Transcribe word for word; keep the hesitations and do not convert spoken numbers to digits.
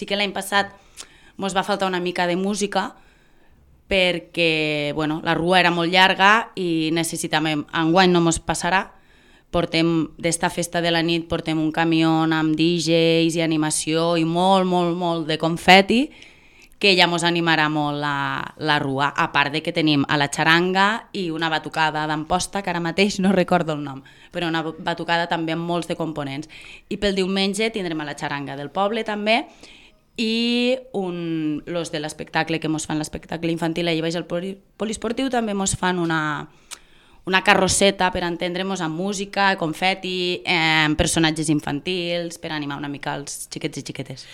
Sí que l'any passat mos va faltar una mica de música perquè bueno, la rua era molt llarga i necessitàvem, enguany no mos passarà, portem d'esta festa de la nit portem un camió amb D Js i animació i molt, molt, molt de confeti que ja mos animarà molt la, la rua, a part de que tenim a la xaranga i una batucada d'Amposta, que ara mateix no recordo el nom, però una batucada també amb molts de components. I pel diumenge tindrem a la xaranga del poble també, i un, los de l'espectacle que mos fan l'espectacle infantil allà baix al poliesportiu també mos fan una, una carrosseta per entendre'ns amb música, confeti, eh, personatges infantils, per animar una mica els xiquets i xiquetes.